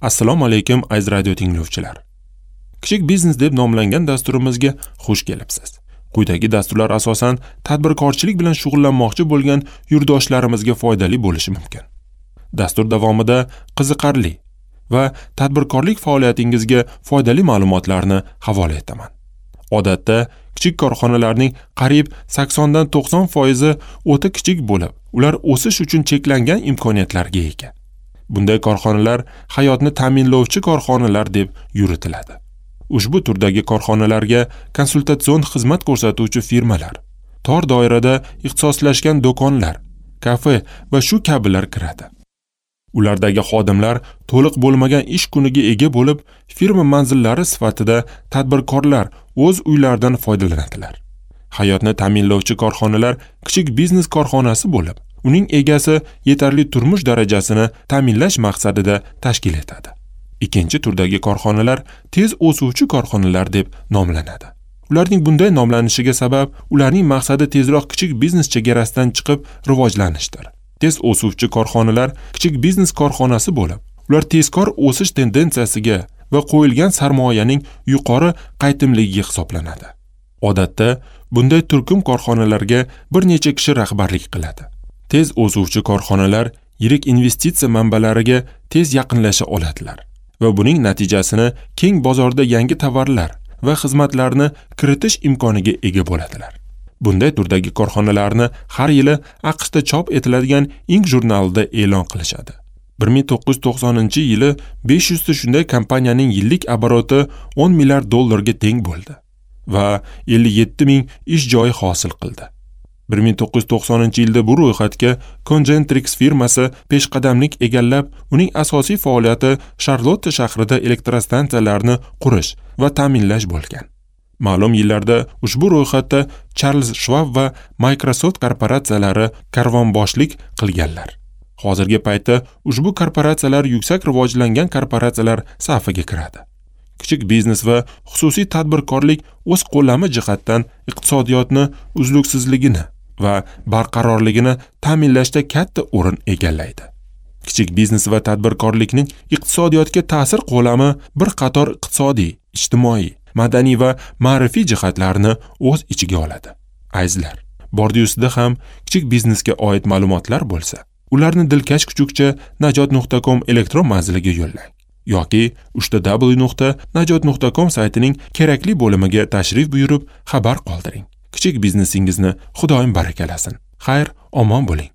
Assalomu alaykum aziz radio tinglovchilar. Kichik biznes deb nomlangan dasturimizga xush kelibsiz. Quyidagi dasturlar asosan tadbirkorchilik bilan shug'ullanmoqchi bo'lgan yurtdoshlarimizga foydali bo'lishi mumkin. Dastur davomida qiziqarli va tadbirkorlik faoliyatingizga foydali ma'lumotlarni havola etaman. Odatda kichik korxonalarning qariyb 80 dan 90% o'ta kichik bo'lib, ular o'sish uchun cheklangan imkoniyatlarga ega. Bunday korxonalar hayotni ta'minlovchi korxonalar deb yuritiladi. Ushbu turdagi korxonalarga konsultatsion xizmat ko'rsatuvchi firmalar, tor doirada ixtisoslashgan do'konlar, kafe va shu kabilar kiradi. Ulardagi xodimlar to'liq bo'lmagan ish kuniga ega bo'lib, firma manzillari sifatida tadbirkorlar o'z uylaridan foydalanadilar. Hayotni ta'minlovchi korxonalar kichik biznes korxonasi bo'lib, uning egasi yetarli turmush darajasini ta'minlash maqsadida tashkil etadi. Ikkinchi turdagi korxonalar tez o'suvchi korxonalar deb nomlanadi. Ularning bunday nomlanishiga sabab ularning maqsadi tezroq kichik biznes chegarasidan chiqib rivojlanishdir. Tez o'suvchi korxonalar kichik biznes korxonasi bo'lib, ular tezkor o'sish tendensiyasiga va qo'yilgan sarmoyaning yuqori qaytimligiga hisoblanadi. Odatda bunday turkum korxonalarga bir necha kishi rahbarlik qiladi. Tez o'suvchi korxonalar yirik investitsiya manbalariga tez yaqinlasha oladilar va buning natijasini keng bozorda yangi tovarlar va xizmatlarni kiritish imkoniga ega bo'ladilar. Bunday turdagi korxonalarni har yili AQShda chop etiladigan Inc jurnalida e'lon qilishadi. 1990-yili 500 ta shunday kompaniyaning yillik oboroti 10 milliard dollarga teng bo'ldi va 57 ming ish joyi hosil qildi. 1990-yilda bu ro'yxatga Concentrix firmasi peshqadamlik egallab, uning asosiy faoliyati Charlotte shahrida elektrostansiyalarni qurish va ta'minlash bo'lgan. Ma'lum yillarda ushbu ro'yxatda Charles Schwab va Microsoft korporatsiyalari karvonboshlik qilganlar. Hozirgi paytda ushbu korporatsiyalar yuksak rivojlangan korporatsiyalar safiga kiradi. Kichik biznes va xususiy tadbirkorlik o'z qo'llami jihatdan iqtisodiyotni uzluksizligini va barqarorligini ta'minlashda katta o'rin egallaydi. Kichik biznes va tadbirkorlikning iqtisodiyotga ta'sir qo'lami bir qator iqtisodiy, ijtimoiy, madaniy va ma'rifiy jihatlarni o'z ichiga oladi. Azizlar, bordi-ustida ham kichik biznesga oid ma'lumotlar bo'lsa, ularni dilkash kuchukcha najot.com elektron manziliga yo'llang yoki www.najot.com saytining kerakli bo'limiga tashrif buyurib xabar qoldiring. Kichik biznesingizni Xudoyim barakalasin. Xayr, omon bo'ling.